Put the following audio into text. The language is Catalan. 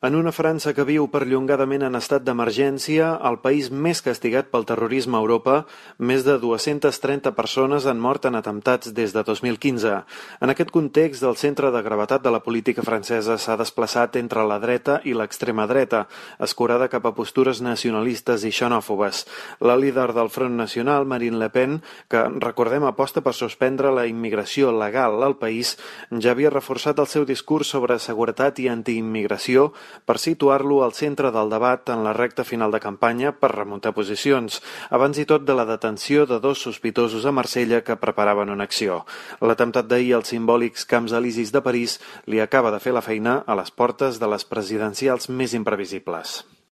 En una França que viu perllongadament en estat d'emergència, el país més castigat pel terrorisme a Europa, més de 230 persones han mort en atemptats des de 2015. En aquest context, el centre de gravetat de la política francesa s'ha desplaçat entre la dreta i l'extrema dreta, escurada cap a postures nacionalistes i xenòfobes. La líder del Front Nacional, Marine Le Pen, que, recordem, aposta per suspendre la immigració legal al país, ja havia reforçat el seu discurs sobre seguretat i antiimmigració per situar-lo al centre del debat en la recta final de campanya per remuntar posicions, abans i tot de la detenció de 2 sospitosos a Marsella que preparaven una acció. L'atemptat d'ahir als simbòlics Camps Elisis de París li acaba de fer la feina a les portes de les presidencials més imprevisibles.